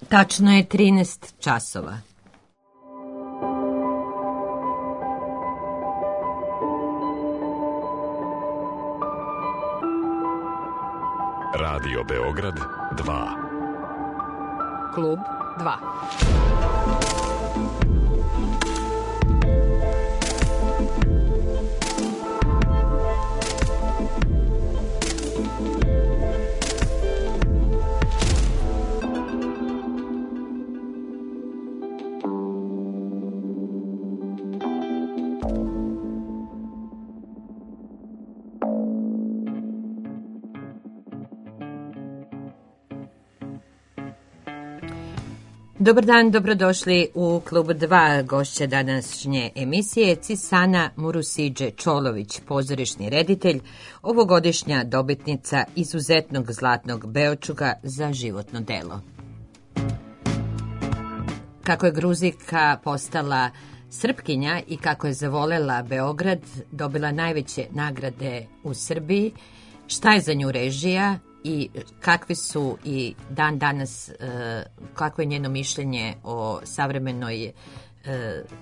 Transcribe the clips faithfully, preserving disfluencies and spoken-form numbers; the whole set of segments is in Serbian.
Tačno je trinaest časova. Radio Beograd dva. Klub dva. Dobar dan, dobrodošli u Klub dva. Gošća današnje emisije Cisana Murusidže-Čolović, pozorišni reditelj, ovogodišnja dobitnica izuzetnog zlatnog Beočuga za životno delo. Kako je Gruzika postala Srpkinja i kako je zavolela Beograd, dobila najveće nagrade u Srbiji, šta je za nju režija i kakvi su i dan danas, kako je njeno mišljenje o savremenoj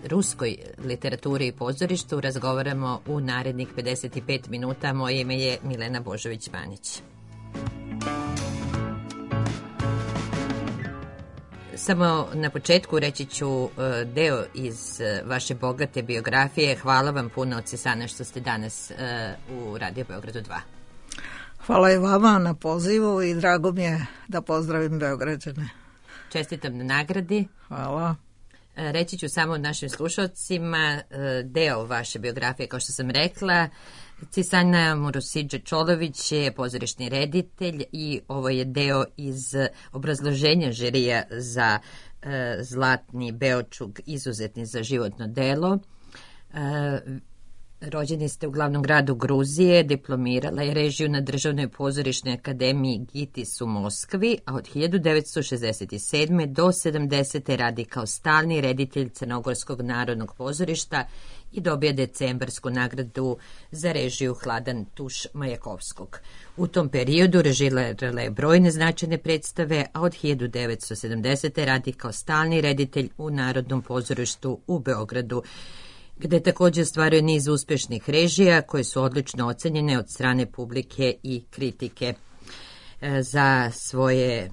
ruskoj literaturi i pozorištu, razgovaramo u narednih pedeset pet minuta. Moje ime je Milena Božović-Manić. Samo na početku reći ću deo iz vaše bogate biografije. Hvala vam puno, Cisana, što ste danas u Radio Beogradu dva. Hvala i vama na pozivu i drago mi je da pozdravim Beograđane. Čestitam na nagradi. Hvala. Reći ću samo našim slušalcima deo vaše biografije, kao što sam rekla. Cisana Murusidže-Čolović je pozorišni reditelj i ovo je deo iz obrazloženja žirija za zlatni Beočug, izuzetni za životno delo. Rođeni ste u glavnom gradu Gruzije, diplomirala je režiju na Državnoj pozorišnoj akademiji Gitis u Moskvi, a od hiljadu devetsto šezdeset sedme do sedamdesete radi kao stalni reditelj Crnogorskog narodnog pozorišta i dobija decembarsku nagradu za režiju Hladan tuš Majakovskog. U tom periodu režirala je brojne značajne predstave, a od hiljadu devetsto sedamdesete radi kao stalni reditelj u Narodnom pozorištu u Beogradu, gde također ostvaruje niz uspešnih režija koje su odlično ocenjene od strane publike i kritike. Za svoje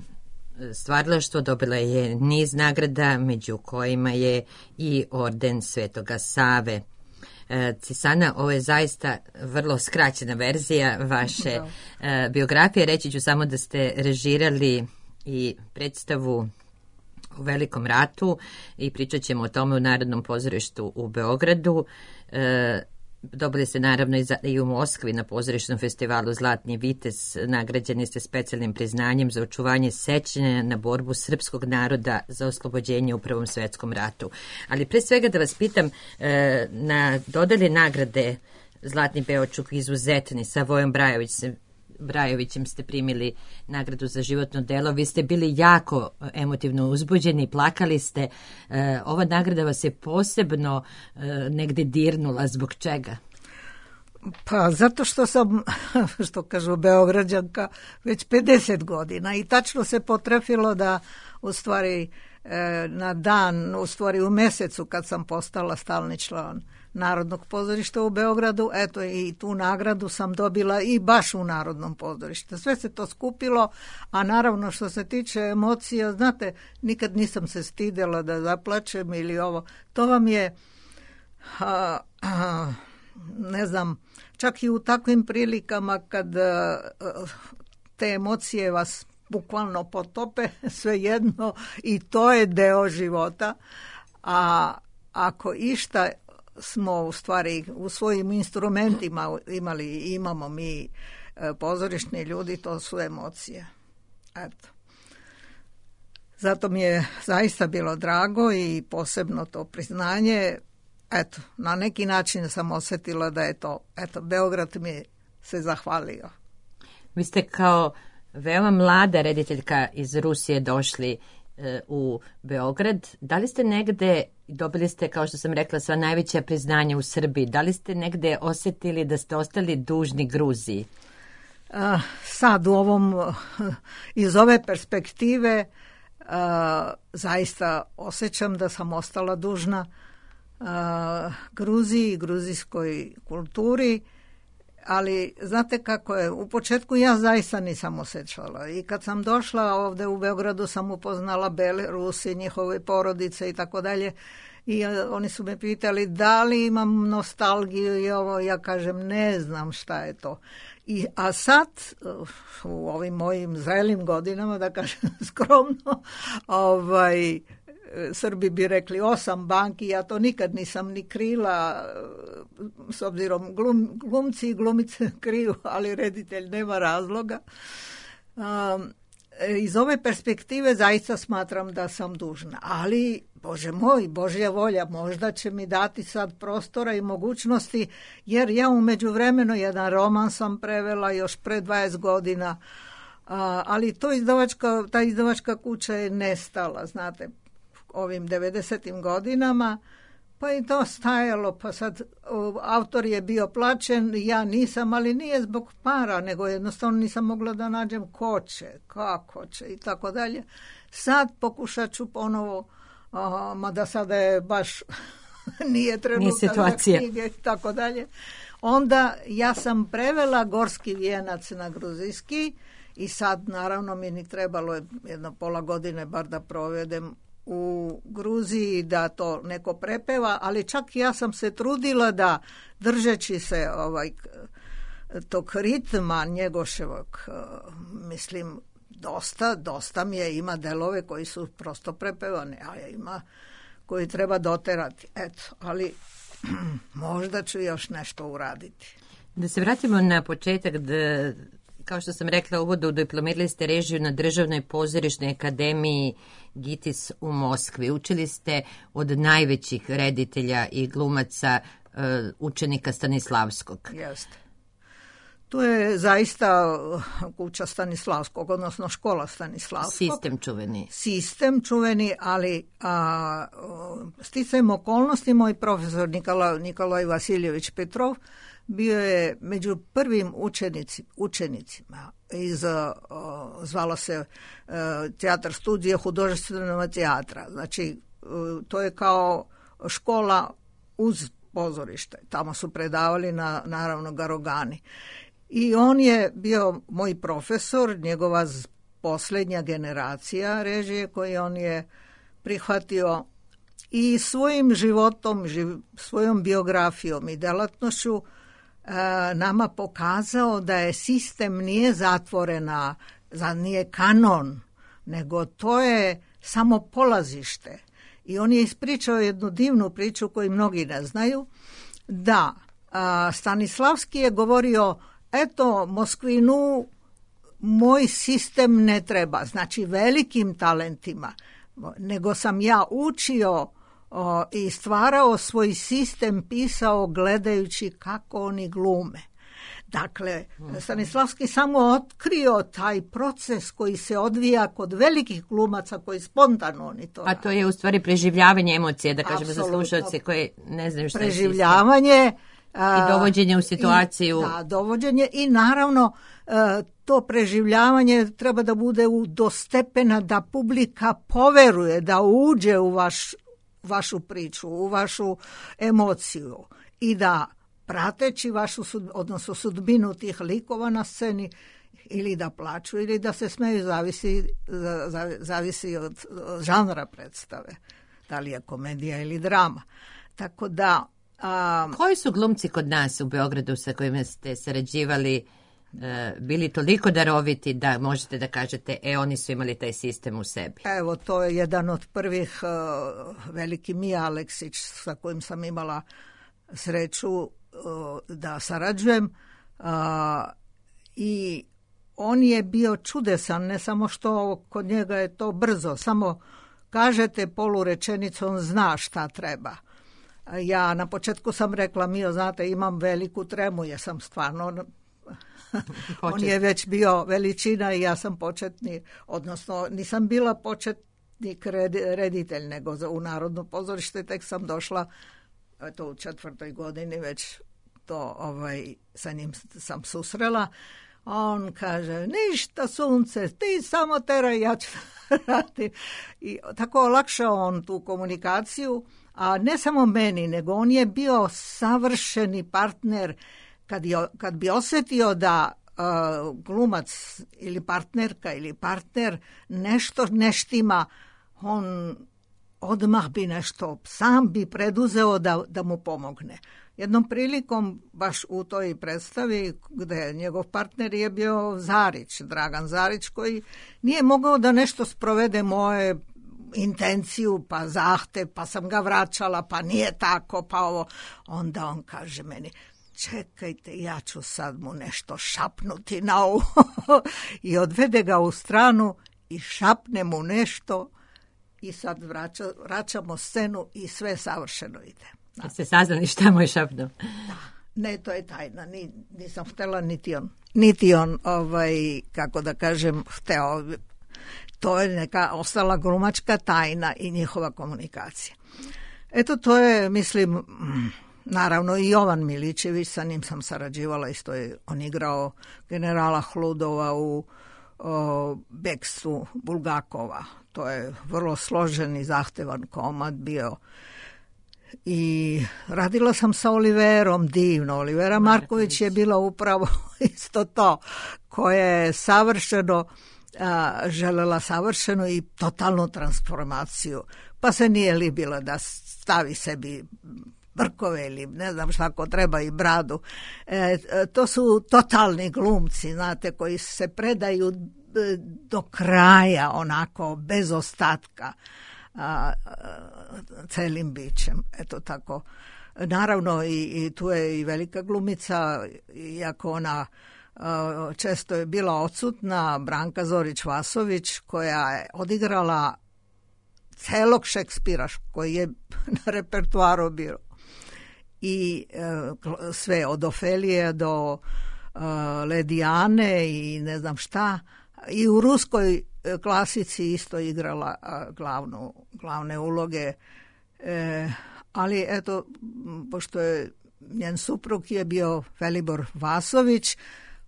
stvaralaštvo dobila je niz nagrada, među kojima je i orden Svetoga Save. Cisana, ovo je zaista vrlo skraćena verzija vaše da. biografije. Reći ću samo da ste režirali i predstavu u Velikom ratu i pričat ćemo o tome u Narodnom pozorištu u Beogradu. E, dobili ste naravno i, za, i u Moskvi na pozorišnom festivalu Zlatni vitez. Nagrađeni ste specijalnim priznanjem za očuvanje sećanja na borbu srpskog naroda za oslobođenje u Prvom svetskom ratu. Ali pre svega da vas pitam, e, na dodali nagrade Zlatni Beočug izuzetni sa Vojom Brajović se Brajovićem ste primili nagradu za životno delo. Vi ste bili jako emotivno uzbuđeni, plakali ste. E, ova nagrada vas je posebno e, negde dirnula. Zbog čega? Pa zato što sam, što kažu Beograđanka, već pedeset godina i tačno se potrefilo da u stvari e, na dan, u stvari u mesecu kad sam postala stalni član Narodnog pozorišta u Beogradu, eto i tu nagradu sam dobila i baš u Narodnom pozorištu. Sve se to skupilo, a naravno što se tiče emocija, znate, nikad nisam se stidela da zaplačem ili ovo. To vam je, a, a, ne znam, čak i u takvim prilikama kad a, te emocije vas bukvalno potope, svejedno i to je deo života, a ako išta smo u stvari u svojim instrumentima imali i imamo mi pozorišni ljudi, to su emocije. Eto. Zato mi je zaista bilo drago i posebno to priznanje. Eto, na neki način sam osjetila da je to, eto, Beograd mi se zahvalio. Vi ste kao veoma mlada rediteljka iz Rusije došli e, u Beograd. Da li ste negde, dobili ste, kao što sam rekla, sva najveća priznanja u Srbiji, da li ste negde osjetili da ste ostali dužni Gruziji? Sad u ovom, iz ove perspektive, zaista osjećam da sam ostala dužna Gruziji, gruzijskoj kulturi, ali znate kako je, u početku ja zaista nisam osjećala i kad sam došla ovdje u Beogradu sam upoznala Belorusi, njihove porodice i tako dalje i oni su me pitali da li imam nostalgiju i ovo, ja kažem ne znam šta je to. I, a sad u ovim mojim zrelim godinama, da kažem skromno, ovaj, Srbi bi rekli osam banki, ja to nikad nisam ni krila, s obzirom glum, glumci i glumice kriju, ali reditelj nema razloga. Um, iz ove perspektive zaista smatram da sam dužna, ali Bože moj, Božja volja, možda će mi dati sad prostora i mogućnosti, jer ja u međuvremenu jedan roman sam prevela još pre dvadeset godina, a, ali to izdavačka, ta izdavačka kuća je nestala, znate, ovim devedesetim godinama, pa i to stajalo, pa sad o, autor je bio plaćen, ja nisam, ali nije zbog para, nego jednostavno nisam mogla da nađem ko će, kako će i tako dalje. Sad pokušat ću ponovo, aha, mada sada je baš nije trenutak za knjige i tako dalje. Onda ja sam prevela Gorski vijenac na gruzijski i sad naravno mi ni trebalo jedno pola godine bar da provedem u Gruziji da to neko prepeva, ali čak ja sam se trudila da držeći se ovaj tog ritma Njegoševog, mislim dosta, dosta mi je, ima delove koji su prosto prepevane, a ima koji treba doterati. Eto, ali možda ću još nešto uraditi. Da se vratimo na početak, da, kao što sam rekla u uvodu, diplomirali ste režiju na Državnoj pozorišnoj akademiji Gitis u Moskvi. Učili ste od najvećih reditelja i glumaca, učenika Stanislavskog. Jeste. Tu je zaista kuća Stanislavskog, odnosno škola Stanislavskog. Sistem čuveni. Sistem čuveni, ali a, sticajem okolnosti moj profesor Nikola, Nikolaj Vasiljević Petrov bio je među prvim učenici, učenicima iz, a, zvala se a, Teatar studije hudžestvenog teatra. Znači, a, to je kao škola uz pozorište. Tamo su predavali na, naravno, Garogani. I on je bio moj profesor, njegova posljednja generacija režije koju on je prihvatio i svojim životom, živ, svojom biografijom i delatnošću e, nama pokazao da je sistem nije zatvorena, za nije kanon, nego to je samo polazište. I on je ispričao jednu divnu priču koju mnogi ne znaju, da a, Stanislavski je govorio, eto, Moskvinu moj sistem ne treba, znači velikim talentima, nego sam ja učio o, i stvarao svoj sistem, pisao gledajući kako oni glume. Dakle, Stanislavski samo otkrio taj proces koji se odvija kod velikih glumaca koji spontano oni to rade. A to je u stvari preživljavanje emocije, da kažemo za slušalce koji ne znaju što je sistem. Preživljavanje i dovođenje u situaciju. I, da, dovođenje i naravno to preživljavanje treba da bude do stepena da publika poveruje, da uđe u vaš, vašu priču, u vašu emociju i da prateći vašu, odnosno sudbinu tih likova na sceni, ili da plaču ili da se smeju, zavisi, zavisi od žanra predstave, da li je komedija ili drama. Tako da A, koji su glumci kod nas u Beogradu sa kojima ste sarađivali e, bili toliko daroviti da možete da kažete, e, oni su imali taj sistem u sebi? Evo, to je jedan od prvih, uh, veliki Mija Aleksić, sa kojim sam imala sreću uh, da sarađujem. Uh, I on je bio čudesan, ne samo što kod njega je to brzo, samo kažete polurečenicu, on zna šta treba. Ja na početku sam rekla, Mio, znate, imam veliku tremu, jer sam stvarno, on je već bio veličina i ja sam početni, odnosno nisam bila početnik reditelj, nego za, u Narodno pozorište tek sam došla, eto u četvrtoj godini već to, ovaj, sa njim sam susrela. On kaže, ništa sunce, ti samo teraj, ja ću raditi. I tako olakšao on tu komunikaciju, a ne samo meni, nego on je bio savršeni partner kad, je, kad bi osjetio da uh, glumac ili partnerka ili partner nešto ne štima, on odmah bi nešto, sam bi preduzeo da, da mu pomogne. Jednom prilikom, baš u toj predstavi, gde njegov partner je bio Zarić, Dragan Zarić, koji nije mogao da nešto sprovede moje intenciju, pa zahte, pa sam ga vraćala, pa nije tako, pa ovo. Onda on kaže meni, čekajte, ja ću sad mu nešto šapnuti na ovo. I odvede ga u stranu i šapne mu nešto i sad vraća, vraćamo scenu i sve savršeno ide. Da ste saznali šta mu je šapnuo? Ne, to je tajna. Ni, nisam htjela, niti on. Niti on, ovaj, kako da kažem, hteo. To je neka ostala glumačka tajna i njihova komunikacija. Eto, to je, mislim, naravno i Jovan Milićević, sa njim sam sarađivala, isto je on igrao generala Hludova u o, Beksu Bulgakova. To je vrlo složen i zahtevan komad bio. I radila sam sa Oliverom, divno. Olivera Marković je bila upravo isto to, koja je savršeno a, želela savršenu i totalnu transformaciju. Pa se nije libila da stavi sebi brkove ili ne znam šta ko treba i bradu. E, to su totalni glumci, znate, koji se predaju do kraja, onako, bez ostatka. A, a, celim bićem, eto tako. Naravno i, i tu je i velika glumica, iako ona a, često je bila odsutna, Branka Zorić-Vasović, koja je odigrala celog Šekspira koji je na repertuaru bio. I a, sve od Ofelije do a, Ledijane i ne znam šta. I u ruskoj klasici isto igrala glavnu, glavne uloge, e, ali eto, pošto je njen suprug je bio Velibor Vasović,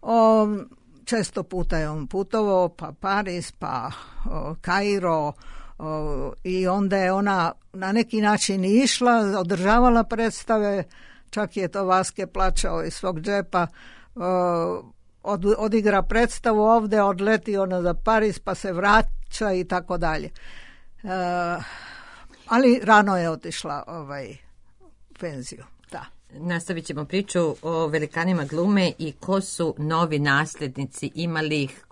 on, često puta je on putovao, pa Pariz, pa o, Kairo, o, i onda je ona na neki način išla, održavala predstave, čak je to Vaske plaćao iz svog džepa, o, Od, odigra predstavu ovde, odleti ona za Pariz, pa se vraća i tako dalje. Uh, ali rano je otišla ovaj, penziju. Da. Nastavit ćemo priču o velikanima glume i ko su novi nasljednici, imali ih.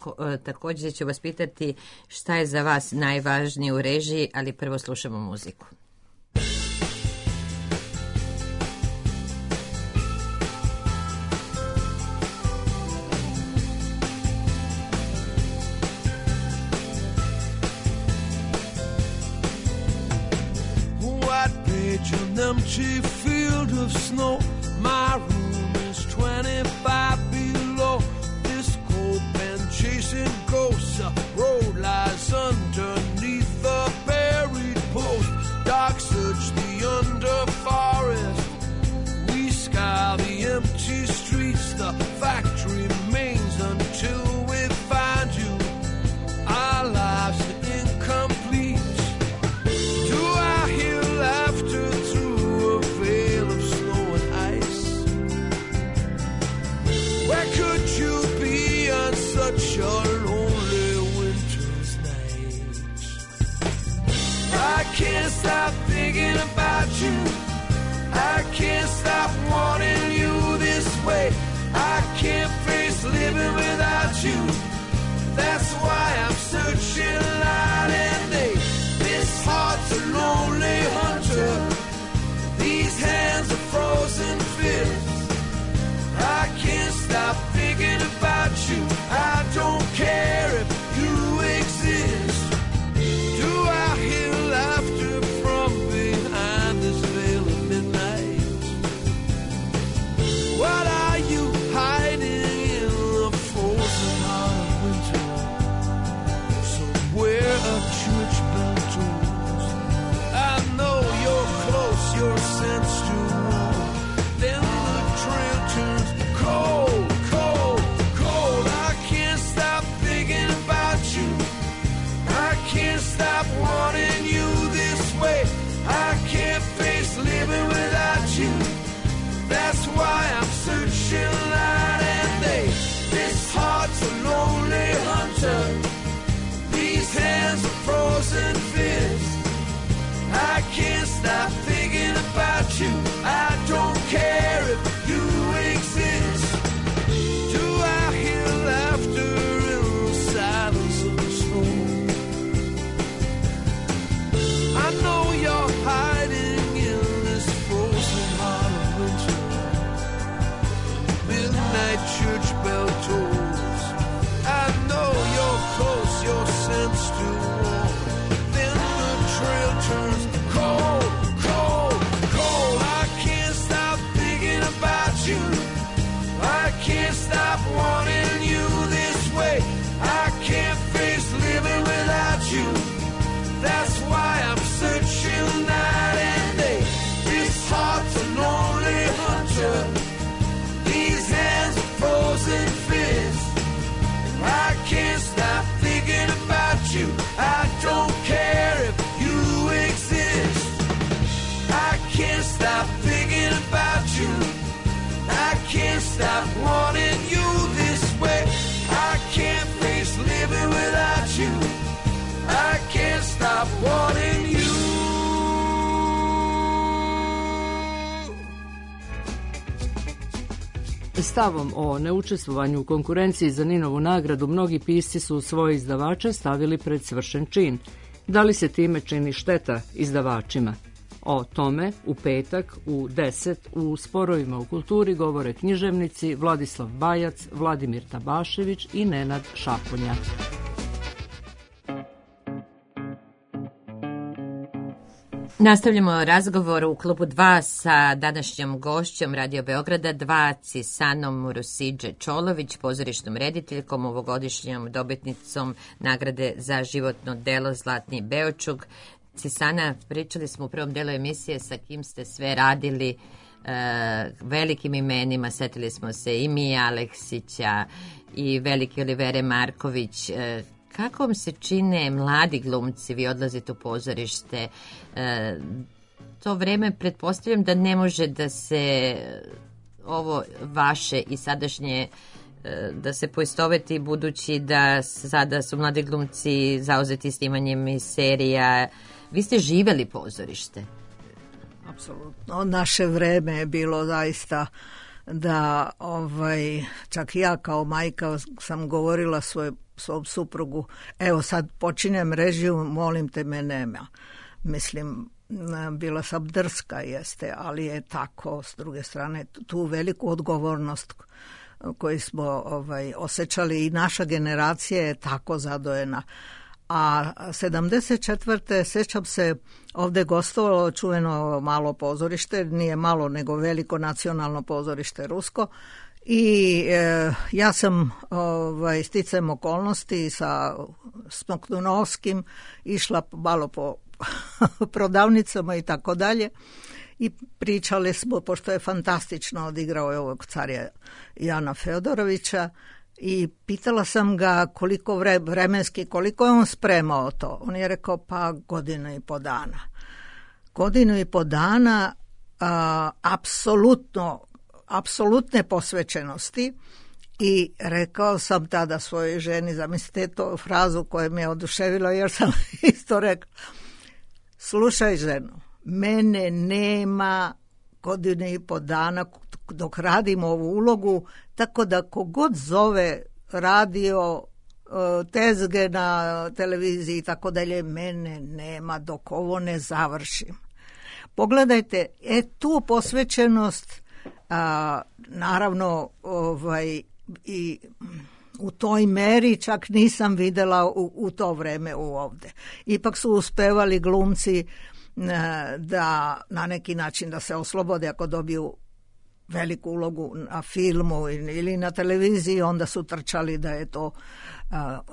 Također ću vas pitati šta je za vas najvažnije u režiji, ali prvo slušamo muziku. An empty field of snow. My room is twenty-five below. This cold been chasing ghosts. A road lies underneath the buried post. Dark search the under forest. We scour the empty streets. The fact remains until we find you. Our lives are incomplete. Do I hear laughter through a veil of snow and ice? why I'm searching night and day. This heart's a lonely hunter. These hands are frozen fists. I can't stop thinking about you. I don't care if you exist. Do I hear laughter in the silence of the snow? I know you're hiding in this frozen heart of winter. Midnight church bell tolls. I know you're close, your scent's still warm. Then the trail turns cold, cold, cold. I can't stop thinking about you. I can't stop wanting you this way. I can't face living without you. That's why I'm searching night and day. This heart's a lonely hunter. These hands are frozen fists. I can't stop thinking about you. I don't care if you exist. I can't stop thinking about you. I can't stop wanting you this way. I can't face living without you. I can't stop wanting you. Stavom o neučestvovanju u konkurenciji za Ninovu nagradu mnogi pisci su svoje izdavače stavili pred svršen čin. Da li se time čini šteta izdavačima? O tome u petak u deset u Sporovima u kulturi govore književnici Vladislav Bajac, Vladimir Tabašević i Nenad Šaponja. Nastavljamo razgovor u klubu dva sa današnjom gošćom Radio Beograda dva, Cisanom Murusidže Čolović, pozorišnom rediteljkom, ovogodišnjom dobitnicom nagrade za životno delo Zlatni Beočug. Cisana, pričali smo u prvom delu emisije sa kim ste sve radili, e, velikim imenima, setili smo se i Mije Aleksića i velike Olivere Marković. E, kako vam se čine mladi glumci, vi odlazite u pozorište, e, to vreme pretpostavljam da ne može da se ovo vaše i sadašnje da se poistoveti, budući da sada su mladi glumci zauzeti snimanjem i serija. Vi ste živeli pozorište. Apsolutno. Naše vreme je bilo zaista da ovaj, čak ja kao majka sam govorila svoj, svom suprugu, evo sad počinjem režiju, molim te me nema. Mislim, bila sam drska jeste, ali je tako, s druge strane, tu veliku odgovornost koju smo ovaj, osjećali i naša generacija je tako zadojena. A sedamdeset četvrte sjećam se, ovdje gostovalo čuveno malo pozorište, nije malo nego veliko nacionalno pozorište rusko, i e, ja sam ovaj, sticajem okolnosti sa Smoktunovskim išla malo po prodavnicama i tako dalje i pričali smo, pošto je fantastično odigrao je ovog carja Jana Feodorovića, i pitala sam ga koliko vre, vremenski, koliko je on spremao to. On je rekao pa godinu i po dana. Godinu i po dana a, apsolutno, apsolutne posvećenosti, i rekao sam tada svojoj ženi, zamislite to frazu koja me je oduševila, jer sam isto rekao, slušaj ženo, mene nema godine i po dana dok radim ovu ulogu, tako da kogod zove radio, tezge na televiziji i tako dalje, mene nema dok ovo ne završim. Pogledajte, e tu posvećenost, a, naravno ovaj, i u toj meri čak nisam videla u, u to vreme u ovde. Ipak su uspevali glumci da na neki način da se oslobode ako dobiju veliku ulogu na filmu ili na televiziji, onda su trčali da je to,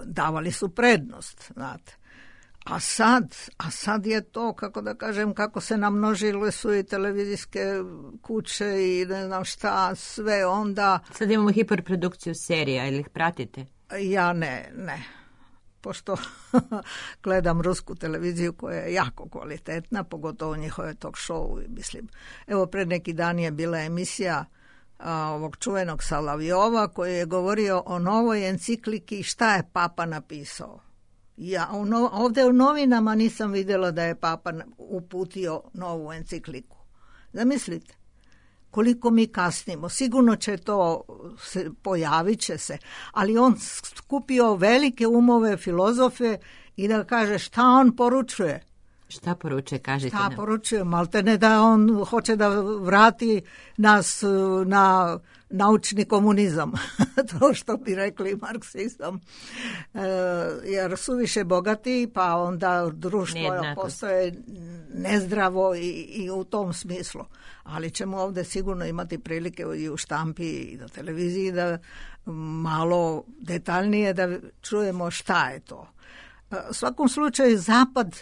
davali su prednost, znate. A sad, a sad je to, kako da kažem, kako se namnožile su i televizijske kuće i ne znam šta, sve onda. Sad imamo hiperprodukciju serija, ili ih pratite? Ja ne, ne. Pošto gledam rusku televiziju koja je jako kvalitetna, pogotovo njihove talk show, mislim. Evo, pred neki dan je bila emisija a, ovog čuvenog Salavijova koji je govorio o novoj encikliki šta je papa napisao. Ja u no, ovdje u novinama nisam vidjela da je papa uputio novu encikliku. Zamislite koliko mi kasnimo. Sigurno će to, se, pojavit će se, ali on skupio velike umove, filozofe i da kaže šta on poručuje. Šta poručuje, kažete Šta nam? poručuje, malte ne da on hoće da vrati nas na naučni komunizam, to što bi rekli marksizam, e, jer su više bogati, pa onda društvo postoje nezdravo i, i u tom smislu. Ali ćemo ovdje sigurno imati prilike i u štampi i na televiziji da malo detaljnije da čujemo šta je to. E, u svakom slučaju zapad,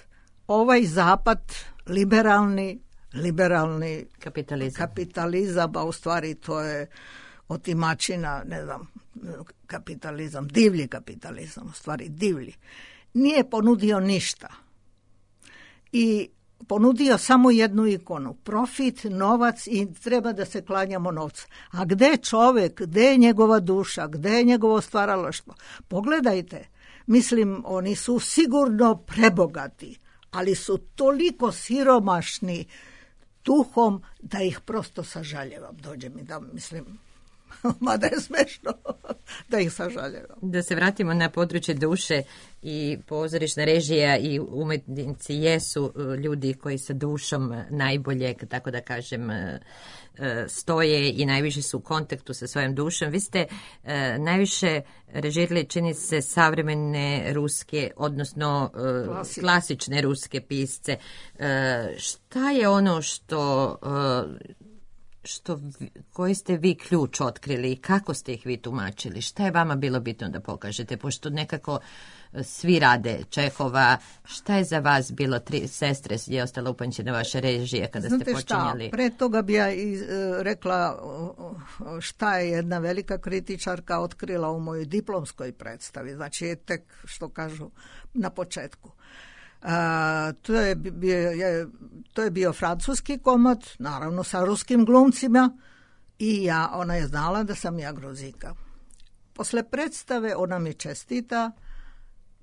ovaj zapad liberalni, liberalni kapitalizam. kapitalizam, a u stvari to je otimačina, ne znam, kapitalizam, divlji kapitalizam, u stvari divlji, nije ponudio ništa. I ponudio samo jednu ikonu, profit, novac i treba da se klanjamo novca. A gde je čovjek, gde je njegova duša, gde je njegovo stvaralaštvo? Pogledajte, mislim, oni su sigurno prebogati, ali su toliko siromašni duhom da ih prosto sažaljevam. Dođe mi da mislim, mada je smešno da ih sažaljevam. Da se vratimo na područje duše i pozorišna režija i umetnici jesu ljudi koji sa dušom najbolje, tako da kažem, stoje i najviše su u kontaktu sa svojom dušom. Vi ste najviše režirali, čini se, savremene ruske, odnosno Klasi. klasične ruske pisce. Šta je ono što... što koji ste vi ključ otkrili i kako ste ih vi tumačili? Šta je vama bilo bitno da pokažete? Pošto nekako svi rade Čehova, šta je za vas bilo tri sestre je ostala upanjena vaše režije kada Znate ste počinjali? Šta, pre toga bi ja iz, rekla šta je jedna velika kritičarka otkrila u mojoj diplomskoj predstavi. Znači je tek, što kažu, na početku. Uh, to, je bio, je, to je bio francuski komad, naravno sa ruskim glumcima i ja, ona je znala da sam ja Gruzika. Posle predstave ona mi čestita,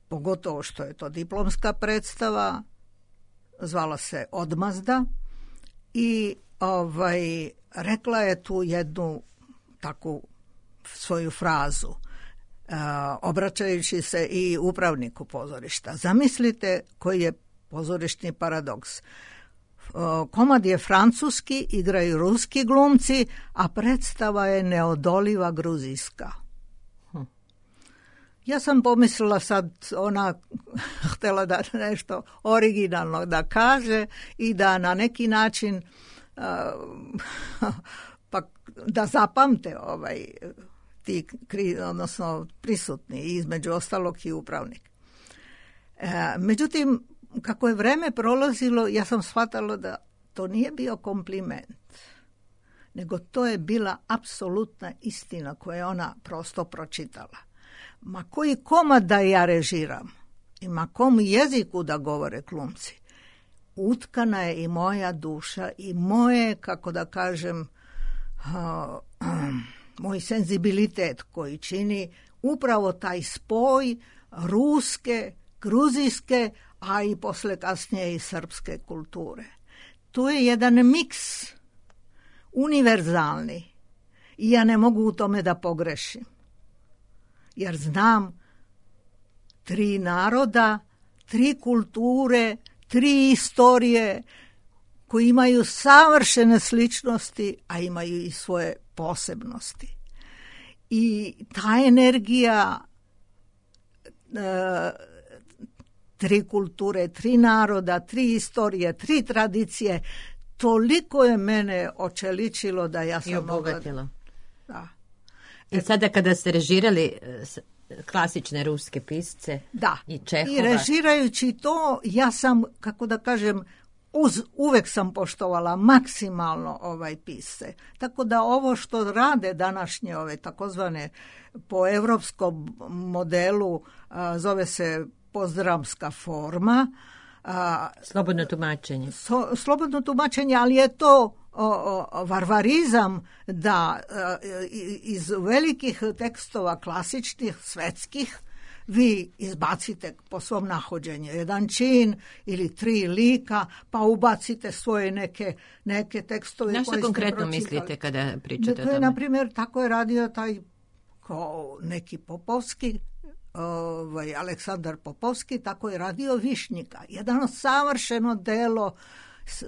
pogotovo što je to diplomska predstava, zvala se Odmazda i ovaj, rekla je tu jednu takvu svoju frazu. Uh, obraćajući se i upravniku pozorišta. Zamislite koji je pozorišni paradoks. Uh, komad je francuski, igraju ruski glumci, a predstava je neodoliva gruzijska. Hm. Ja sam pomislila sad, ona htjela da nešto originalno da kaže i da na neki način uh, pa da zapamte ovaj ti, odnosno prisutni, između ostalog i upravnik. E, međutim, kako je vreme prolazilo, ja sam shvatala da to nije bio kompliment, nego to je bila apsolutna istina koju je ona prosto pročitala. Ma koji komad da ja režiram i ma kom jeziku da govore glumci, utkana je i moja duša i moje, kako da kažem, uh, um, moj senzibilitet koji čini upravo taj spoj ruske, gruzijske, a i posle kasnije i srpske kulture. To je jedan miks univerzalni i ja ne mogu u tome da pogrešim. Jer znam tri naroda, tri kulture, tri istorije koji imaju savršene sličnosti, a imaju i svoje posebnosti. I ta energija e, tri kulture, tri naroda, tri istorije, tri tradicije, toliko je mene očeličilo da ja sam... I obogatilo. Da. I sada kada ste režirali klasične ruske pisce da. I Čehova... I režirajući to, ja sam, kako da kažem, Uz, uvek sam poštovala maksimalno ovaj pisce. Tako da ovo što rade današnje ove takozvane po evropskom modelu, a, zove se pozdramska forma, a, slobodno tumačenje. So, slobodno tumačenje, ali je to o, o, varvarizam da a, iz velikih tekstova klasičnih, svetskih, vi izbacite po svom nahođenju jedan čin ili tri lika, pa ubacite svoje neke, neke tekstove. Na što konkretno mislite kada pričate to o tome? Je, na primjer, tako je radio taj ko neki Popovski, ovaj, Aleksandar Popovski, tako je radio Višnjika. Jedno savršeno delo,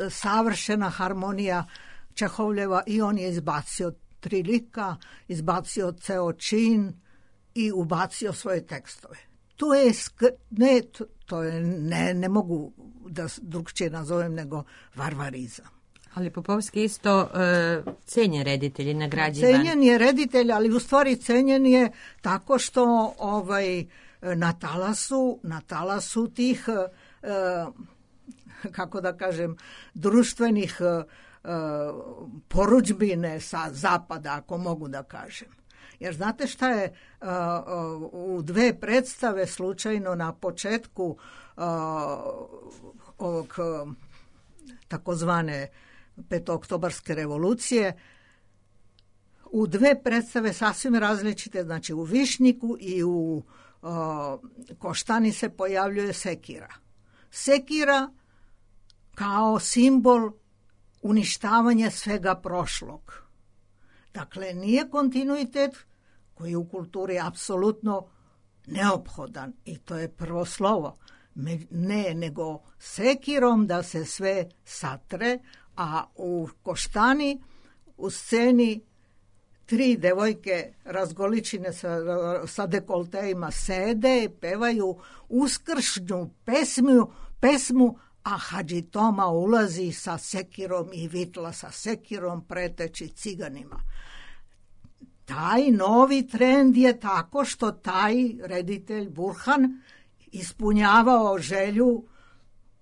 savršena harmonija Čehovljeva i on je izbacio tri lika, izbacio ceo čin i ubacio svoje tekstove. To je, sk- ne, to, to je ne, ne mogu da drugčije nazovem nego varvarizam. Ali Popovski isto uh, cenjen reditelj i nagrađivan. Cenjen je reditelj, ali u stvari cenjen je tako što ovaj, na talasu, na talasu tih, uh, kako da kažem, društvenih uh, porudžbine sa zapada, ako mogu da kažem. Jer znate šta je, uh, uh, u dve predstave slučajno na početku uh, ovog uh, takozvane petooktobarske revolucije, u dve predstave sasvim različite, znači u Višnjiku i u uh, Koštani se pojavljuje sekira. Sekira kao simbol uništavanja svega prošlog. Dakle, nije kontinuitet koji je u kulturi apsolutno neophodan i to je prvo slovo. Ne, nego sekirom da se sve satre, a u Koštani u sceni tri devojke razgoličine sa, sa dekolteima sede i pevaju uskršnju pesmu, pesmu a Hadži Toma ulazi sa sekirom i vitla sa sekirom preteći ciganima. Taj novi trend je tako što taj reditelj Burhan ispunjavao želju,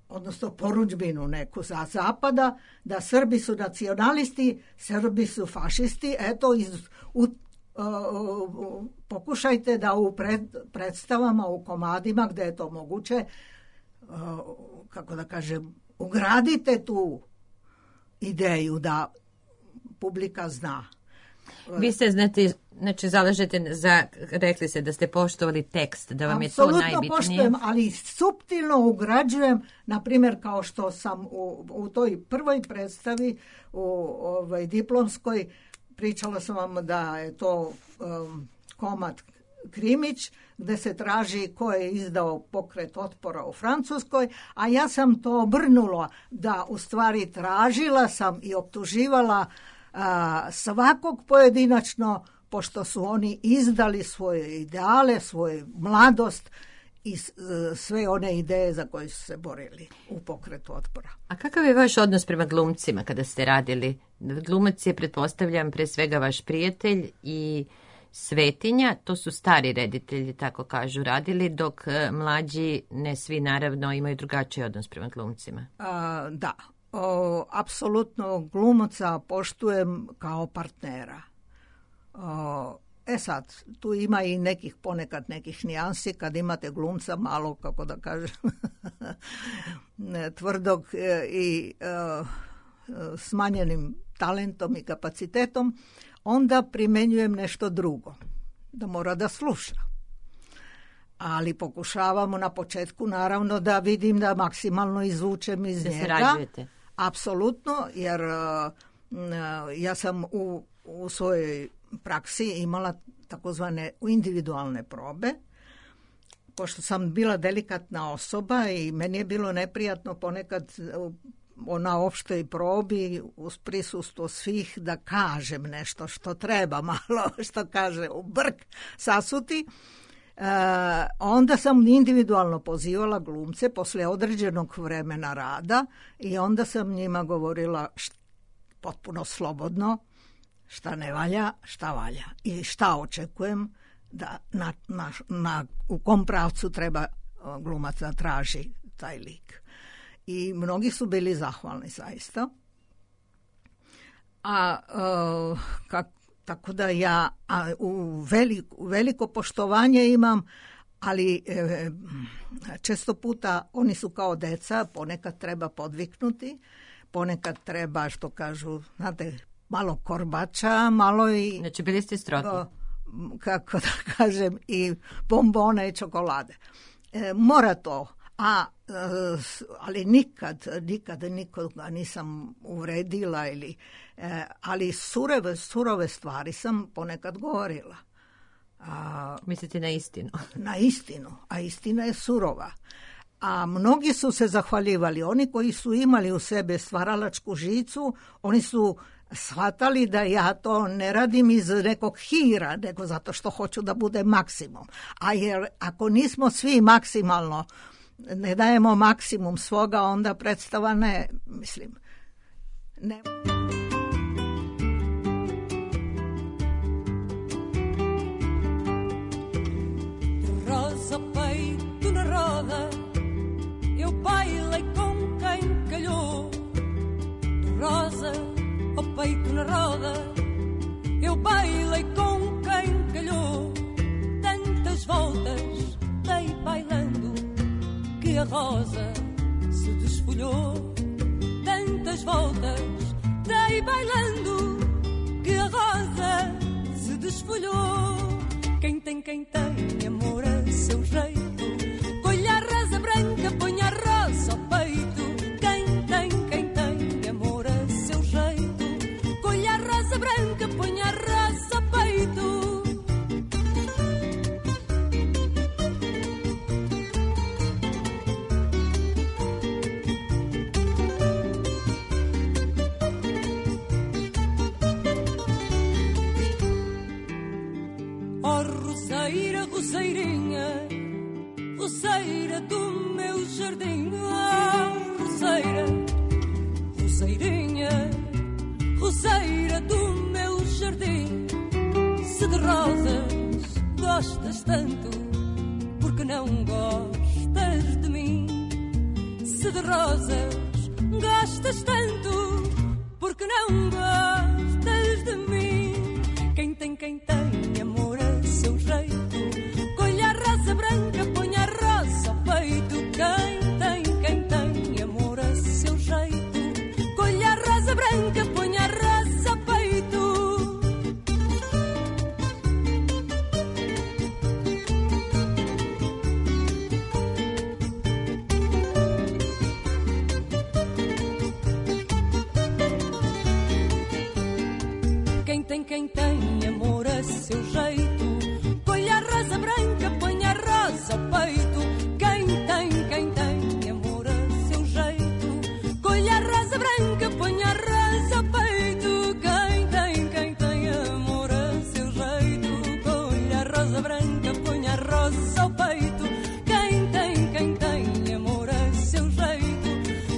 odnosno porudžbinu neku za zapada, da Srbi su nacionalisti, Srbi su fašisti. Eto, iz, u, uh, uh, pokušajte da u pred, predstavama, u komadima, gde je to moguće, uh, kako da kažem, ugradite tu ideju da publika zna. Vi ste, znate, znači, zalažete za, rekli ste da ste poštovali tekst, da vam je to najbitnije. Apsolutno poštujem, ali suptilno ugrađujem, na primjer, kao što sam u, u toj prvoj predstavi, u ovaj, diplomskoj, pričala sam vam da je to um, komad Krimić, gde se traži ko je izdao pokret otpora u Francuskoj, a ja sam to obrnula, da u stvari tražila sam i optuživala a, svakog pojedinačno, pošto su oni izdali svoje ideale, svoju mladost i sve one ideje za koje su se borili u pokretu otpora. A kakav je vaš odnos prema glumcima kada ste radili? Glumac je, pretpostavljam, pre svega vaš prijatelj i svetinja, to su stari reditelji, tako kažu, radili, dok mlađi, ne svi naravno, imaju drugačiji odnos prema glumcima. A, da, o, apsolutno glumaca poštujem kao partnera. O, e sad, tu ima i nekih ponekad nekih nijansi kad imate glumca malo, kako da kažem, tvrdog i e, smanjenim talentom i kapacitetom, onda primenjujem nešto drugo, da mora da sluša. Ali pokušavamo na početku, naravno, da vidim da maksimalno izvučem iz da njega. Se rađujete. Apsolutno, jer uh, ja sam u, u svojoj praksi imala takozvane individualne probe, pošto sam bila delikatna osoba i meni je bilo neprijatno ponekad na opštoj probi uz prisustvo svih da kažem nešto što treba malo, što kaže u brk sasuti. E, onda sam individualno pozivala glumce posle određenog vremena rada i onda sam njima govorila št, potpuno slobodno šta ne valja, šta valja i šta očekujem da na, na, na, u kom pravcu treba glumac da traži taj lik. I mnogi su bili zahvalni zaista. A uh, kak, tako da ja a, u veliko, veliko poštovanje imam, ali e, često puta oni su kao deca, ponekad treba podviknuti, ponekad treba, što kažu, znate, malo korbača, malo i... Znači, bili ste strogi. Kako da kažem, i bombone i čokolade. E, mora to, a, e, ali nikad, nikad nikoga nisam uvredila, ili, e, ali surove, surove stvari sam ponekad govorila. A, mislite na istinu? Na istinu, a istina je surova. A mnogi su se zahvaljivali, oni koji su imali u sebe stvaralačku žicu, oni su shvatali da ja to ne radim iz nekog hira, nego zato što hoću da bude maksimum. A jer ako nismo svi maksimalno, ne dajemo maksimum svoga, onda predstava ne, mislim, ne... Rosa, peito na roda, eu bailei com quem calhou. Rosa, o peito na roda, eu bailei com quem calhou. Tantas voltas dei bailando que a rosa se desfolhou. Tantas voltas dei bailando que a rosa se desfolhou. Quem tem, quem tem amor a seu jeito, colha a rosa branca, põe a rosa ao peito. Quem tem, quem tem amor a seu jeito, colha a rosa branca, põe a rosa ao peito. Roseira, roseirinha, roseira do meu jardim. Oh, roseira, roseirinha, roseira do meu jardim. Se de rosas gostas tanto, porque não gostas de mim? Se de rosas gostas tanto, porque não gostas de mim? Quem tem, quem tem amor a seu jeito, colha a rosa branca, põe a rosa ao peito. Quem tem, quem tem amor a seu jeito, colha a rosa branca, põe a rosa ao peito. Quem tem, quem tem amor a seu jeito, colha a rosa branca, põe a rosa ao peito. Quem tem, quem tem amor a seu jeito, colha a rosa branca, põe a rosa ao peito. Quem tem, quem tem amor a seu jeito, colha a rosa branca, põe a rosa ao peito. Quem tem, quem tem amor a seu jeito,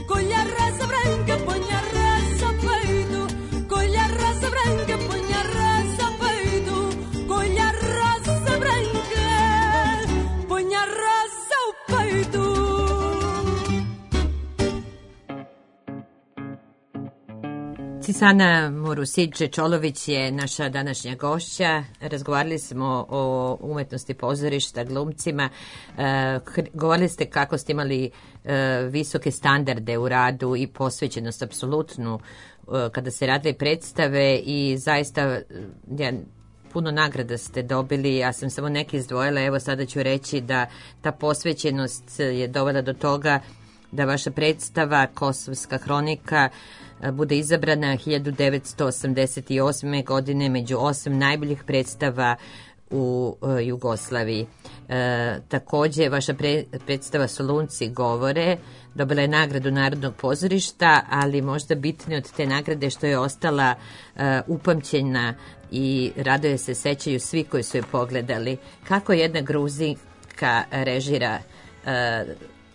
colha a rosa branca, põe a rosa ao peito. Colha a rosa branca, põe a rosa ao peito. Colha a rosa branca, põe a rosa ao peito. Cisana Murusić-Čolović je naša današnja gošća. Razgovarali smo o umetnosti pozorišta, glumcima. E, govorili ste kako ste imali e, visoke standarde u radu i posvećenost apsolutnu e, kada se radile predstave i zaista ja, puno nagrada ste dobili. Ja sam samo neke izdvojila. Evo sada ću reći da ta posvećenost je dovela do toga da vaša predstava Kosovska hronika bude izabrana hiljadu devetsto osamdeset osme. godine među osam najboljih predstava u uh, Jugoslaviji. E, takođe, vaša pre, predstava Solunci govore dobila je nagradu Narodnog pozorišta, ali možda bitnije od te nagrade što je ostala uh, upamćena i radoje se sećaju svi koji su je pogledali. Kako jedna Gruzinka režira uh,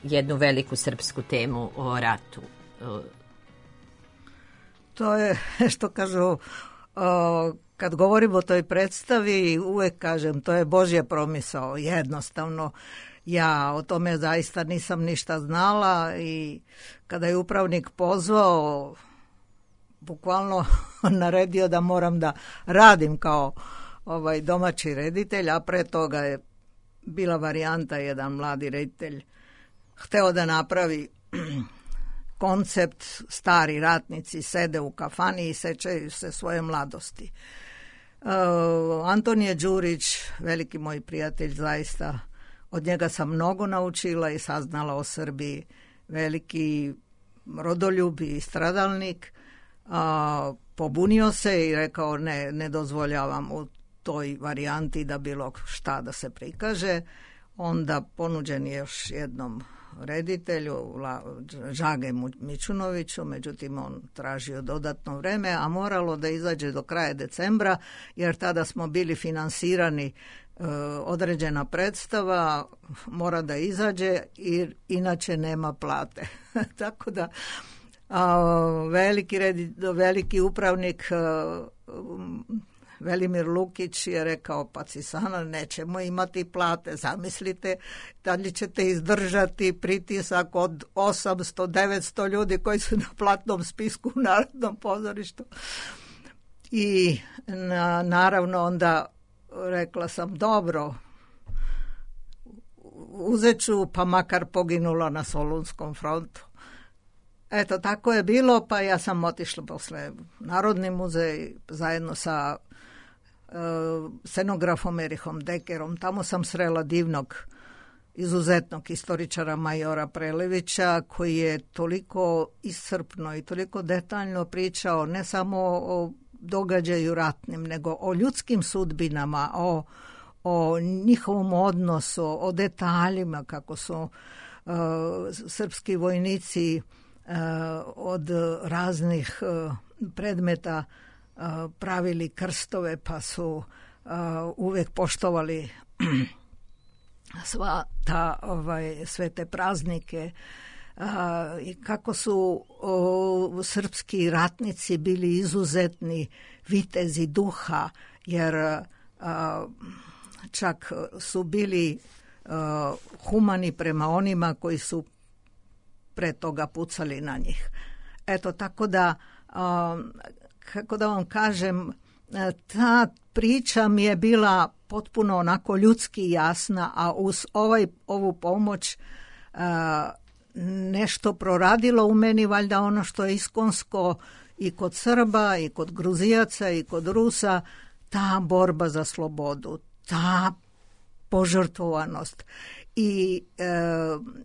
jednu veliku srpsku temu o ratu? Uh, To je, što kažu, o, kad govorimo o toj predstavi, uvek kažem, to je Božja promisao, jednostavno. Ja o tome zaista nisam ništa znala i kada je upravnik pozvao, bukvalno naredio da moram da radim kao ovaj domaći reditelj, a pre toga je bila varijanta, jedan mladi reditelj hteo da napravi koncept, stari ratnici sede u kafani i sećaju se svoje mladosti. Uh, Antonije Đurić, veliki moj prijatelj, zaista od njega sam mnogo naučila i saznala o Srbiji, veliki rodoljub i stradalnik, uh, pobunio se i rekao ne, ne dozvoljavam u toj varijanti da bilo šta da se prikaže. Onda ponuđen je još jednom reditelju, Žage Mićunoviću, međutim on tražio dodatno vreme, a moralo da izađe do kraja decembra, jer tada smo bili finansirani, e, određena predstava mora da izađe, jer inače nema plate. Tako da a, veliki, reditelj, veliki upravnik a, Velimir Lukić je rekao, pa Cisana, nećemo imati plate, zamislite da li ćete izdržati pritisak od osamsto do devetsto ljudi koji su na platnom spisku u Narodnom pozorištu. I na, naravno onda rekla sam, dobro, uzet ću, pa makar poginula na Solunskom frontu. Eto, tako je bilo, pa ja sam otišla posle Narodni muzej zajedno sa scenografom Erihom Dekerom. Tamo sam srela divnog, izuzetnog istoričara majora Prelevića, koji je toliko iscrpno i toliko detaljno pričao ne samo o događaju ratnim, nego o ljudskim sudbinama, o, o njihovom odnosu, o detaljima, kako su uh, srpski vojnici uh, od raznih uh, predmeta pravili krstove, pa su uh, uvek poštovali sva ta, ovaj, sve te praznike, uh, i kako su uh, srpski ratnici bili izuzetni vitezi duha, jer uh, čak su bili uh, humani prema onima koji su pre toga pucali na njih. Eto, tako da uh, kako da vam kažem, ta priča mi je bila potpuno onako ljudski jasna, a uz ovaj, ovu pomoć a, nešto proradilo u meni, valjda ono što je iskonsko i kod Srba, i kod Gruzijaca, i kod Rusa, ta borba za slobodu, ta požrtvovanost i e,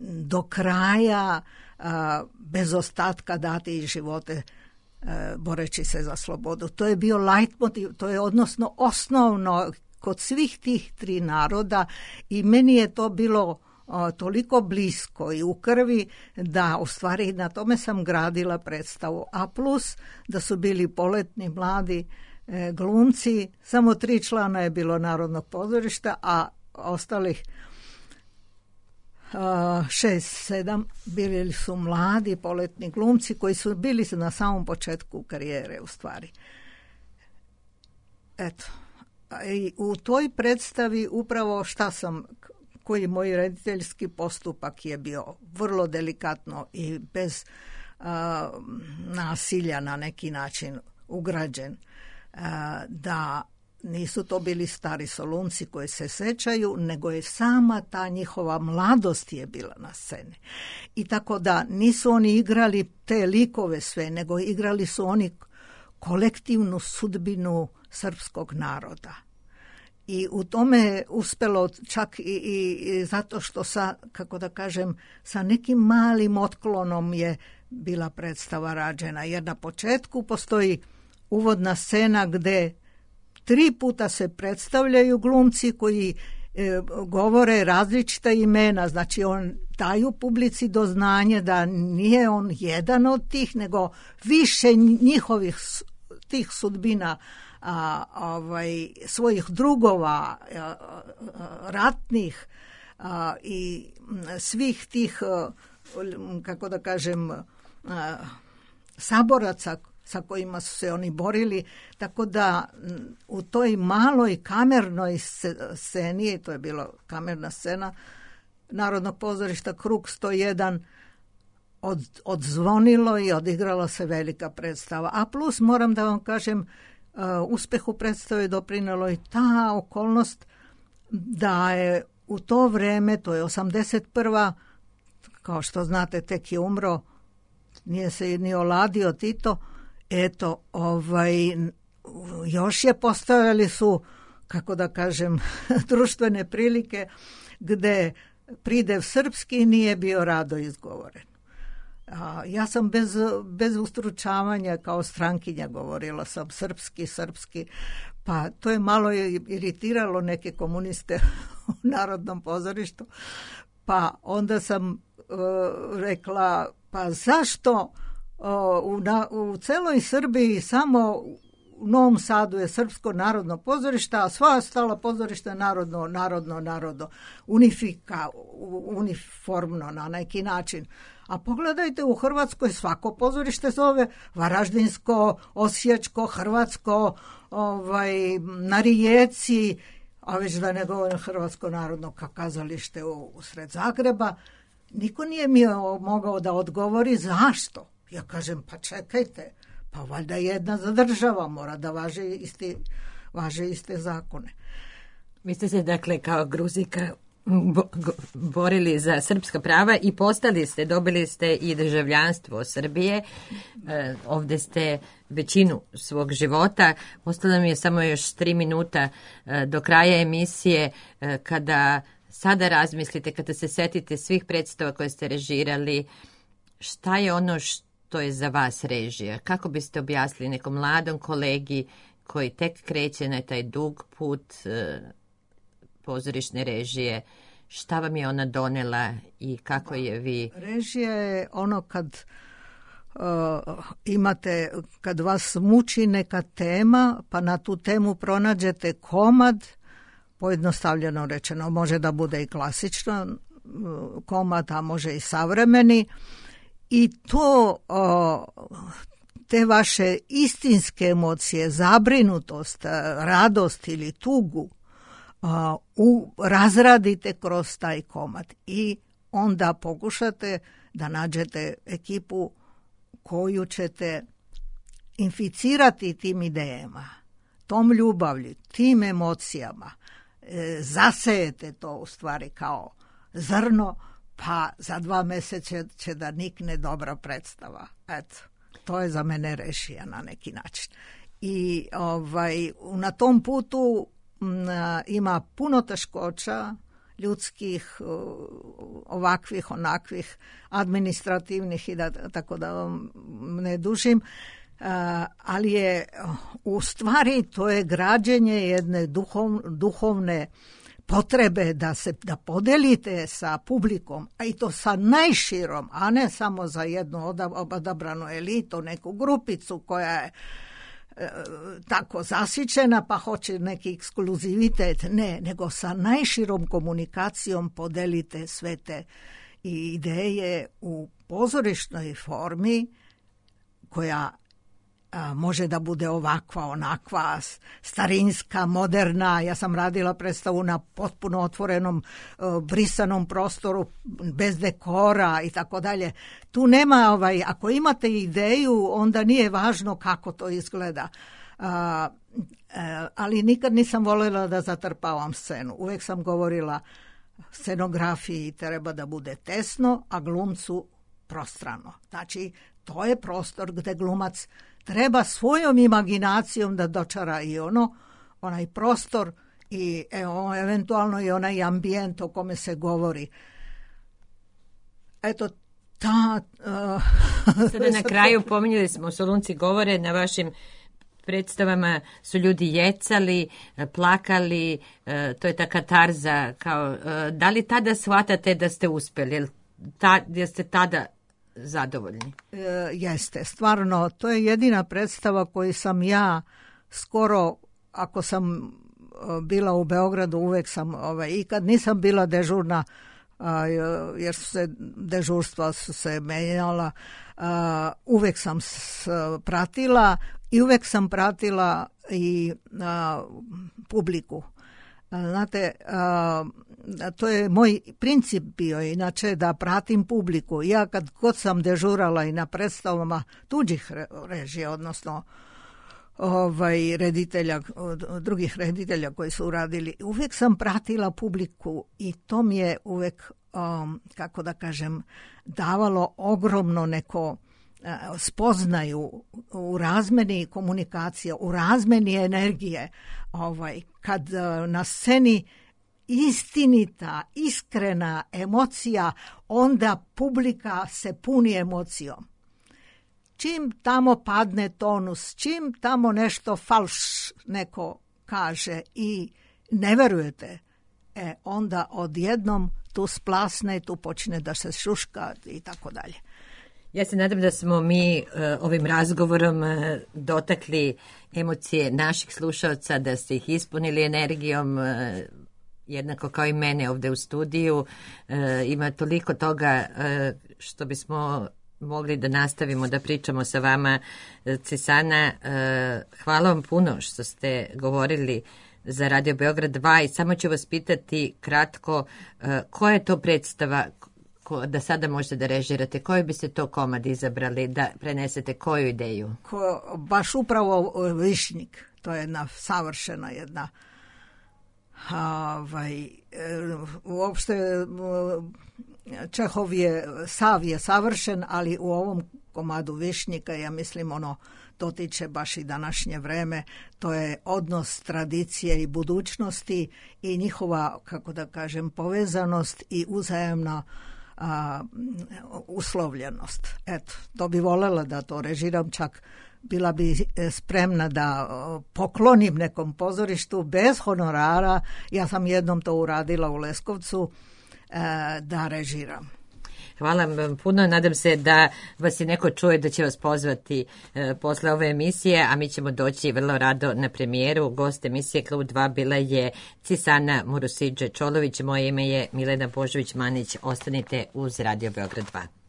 do kraja a, bez ostatka dati i živote boreći se za slobodu. To je bio leitmotiv, to je odnosno osnovno kod svih tih tri naroda i meni je to bilo o, toliko blisko i u krvi da u stvari na tome sam gradila predstavu. A plus da su bili poletni mladi e, glumci, samo tri člana je bilo Narodnog pozorišta, a ostalih Uh, šest, sedam bili su mladi poletni glumci koji su bili na samom početku karijere u stvari. Eto, i u toj predstavi upravo šta sam, koji moj rediteljski postupak je bio vrlo delikatno i bez uh, nasilja na neki način ugrađen, uh, da nisu to bili stari Solunci koji se sećaju, nego je sama ta njihova mladost je bila na sceni. I tako da nisu oni igrali te likove sve, nego igrali su oni kolektivnu sudbinu srpskog naroda. I u tome je uspelo čak i, i, i zato što sa, kako da kažem, sa nekim malim otklonom je bila predstava rađena. Jer na početku postoji uvodna scena gde tri puta se predstavljaju glumci koji e, govore različita imena, znači on daju publici do znanja da nije on jedan od tih, nego više njihovih tih sudbina, a, ovaj, svojih drugova, a, a, ratnih a, i svih tih, a, kako da kažem, a, saboraca sa kojima su se oni borili, tako da u toj maloj kamernoj sceni, to je bila kamerna scena Narodnog pozorišta Krug sto jedan, od, odzvonilo i odigrala se velika predstava. A plus, moram da vam kažem, uh, uspehu predstave doprinelo i ta okolnost da je u to vreme, to je osamdeset prva, kao što znate, tek je umro, nije se ni oladio Tito, eto, ovaj, još je postojali su, kako da kažem, društvene prilike gde pridev srpski nije bio rado izgovoren. A, ja sam bez, bez ustručavanja kao strankinja govorila sam srpski, srpski, pa to je malo iritiralo neke komuniste u Narodnom pozorištu, pa onda sam uh, rekla, pa zašto uh, u, na, u celoj Srbiji samo u Novom Sadu je Srpsko narodno pozorište, a sva ostala pozorišta narodno, narodno, narodno, unifika, uniformno na neki način. A pogledajte, u Hrvatskoj svako pozorište zove Varaždinsko, Osječko, Hrvatsko, ovaj, na Rijeci, a već da ne govorim Hrvatsko narodno kazalište u, u sred Zagreba. Niko nije mi mogao da odgovori zašto. Ja kažem, pa čekajte, pa valjda jedna za država mora da važe isti, važe iste zakone. Vi ste se dakle kao Gruzika bo, go, borili za srpska prava i postali ste, dobili ste i državljanstvo Srbije. E, ovde ste većinu svog života. Ostalo mi je samo još tri minuta e, do kraja emisije, e, kada sada razmislite, kada se setite svih predstava koje ste režirali, šta je ono što to je za vas režija? Kako biste objasnili nekom mladom kolegi koji tek kreće na taj dug put e, pozorišne režije, šta vam je ona donela i kako je vi... Režija je ono kad uh, imate, kad vas muči neka tema, pa na tu temu pronađete komad, pojednostavljeno rečeno, može da bude i klasično komad, a može i savremeni, i to, o, te vaše istinske emocije, zabrinutost, radost ili tugu, o, u, razradite kroz taj komad i onda pokušate da nađete ekipu koju ćete inficirati tim idejama, tom ljubavlju, tim emocijama. E, zasejete to u stvari kao zrno, pa za dva mjeseca će da nikne dobra predstava. Eto, to je za mene režija na neki način. I ovaj, na tom putu m, ima puno teškoća, ljudskih, ovakvih, onakvih, administrativnih i da, tako da vam ne dužim, uh, ali je u stvari to je građenje jedne duhov, duhovne potrebe da se da podelite sa publikom, a i to sa najširom, a ne samo za jednu odabranu elitu, neku grupicu koja je e, tako zasićena pa hoće neki ekskluzivitet, ne, nego sa najširom komunikacijom podelite sve te ideje u pozorišnoj formi koja a, može da bude ovakva, onakva, starinska, moderna. Ja sam radila predstavu na potpuno otvorenom, brisanom prostoru, bez dekora i tako dalje. Tu nema, ovaj, ako imate ideju, onda nije važno kako to izgleda. A, a, ali nikad nisam voljela da zatrpavam scenu. Uvijek sam govorila, scenografiji treba da bude tesno, a glumcu prostrano. Znači, to je prostor gde glumac treba svojom imaginacijom da dočara i ono, onaj prostor i evo, eventualno i onaj ambijent o kome se govori. Eto, ta... Uh, Sada na kraju pominjali smo, Solunci govore, na vašim predstavama su ljudi jecali, plakali, to je ta katarza. Kao, da li tada shvatate da ste uspjeli? Ta, da ste tada zadovoljni? E, jeste, stvarno, to je jedina predstava koju sam ja skoro, ako sam bila u Beogradu, uvek sam, ovaj, i kad nisam bila dežurna, a, jer su se dežurstva su se menjala, a, uvek sam s, pratila i uvek sam pratila i a, publiku. Znate, a, to je moj princip bio, inače da pratim publiku. Ja kad god sam dežurala i na predstavama tuđih režija, odnosno ovaj, reditelja, drugih reditelja koji su uradili. Uvijek sam pratila publiku i to mi je uvijek, um, kako da kažem, davalo ogromno neko uh, spoznaju u razmeni komunikacije, u razmeni energije. Ovaj, kad uh, na sceni istinita, iskrena emocija, onda publika se puni emocijom. Čim tamo padne tonus, čim tamo nešto falš neko kaže i ne verujete, e, onda odjednom tu splasne, tu počne da se šuška i tako dalje. Ja se nadam da smo mi uh, ovim razgovorom uh, dotakli emocije naših slušalca, da ste ih ispunili energijom, uh, jednako kao i mene ovde u studiju. Uh, ima toliko toga uh, što bismo mogli da nastavimo da pričamo sa vama. Cisana, hvala vam puno što ste govorili za Radio Beograd dva i samo ću vas pitati kratko, koja je to predstava da sada možete da režirate, koji biste to komad izabrali da prenesete, koju ideju? Ko, baš upravo Višnjik, to je jedna savršena jedna ovaj, uopšte Čehov je, sav je savršen, ali u ovom komadu Višnjika, ja mislim, ono dotiče baš i današnje vreme, to je odnos tradicije i budućnosti i njihova, kako da kažem, povezanost i uzajemna a, uslovljenost. Eto, to bi voljela da to režiram, čak bila bi spremna da poklonim nekom pozorištu bez honorara. Ja sam jednom to uradila u Leskovcu, da režiram. Hvala vam puno, nadam se da vas i neko čuje, da će vas pozvati e, posle ove emisije, a mi ćemo doći vrlo rado na premijeru. Gost emisije Klub dva bila je Cisana Murusidže Čolović, moje ime je Milena Božović-Manić, ostanite uz Radio Beograd dva.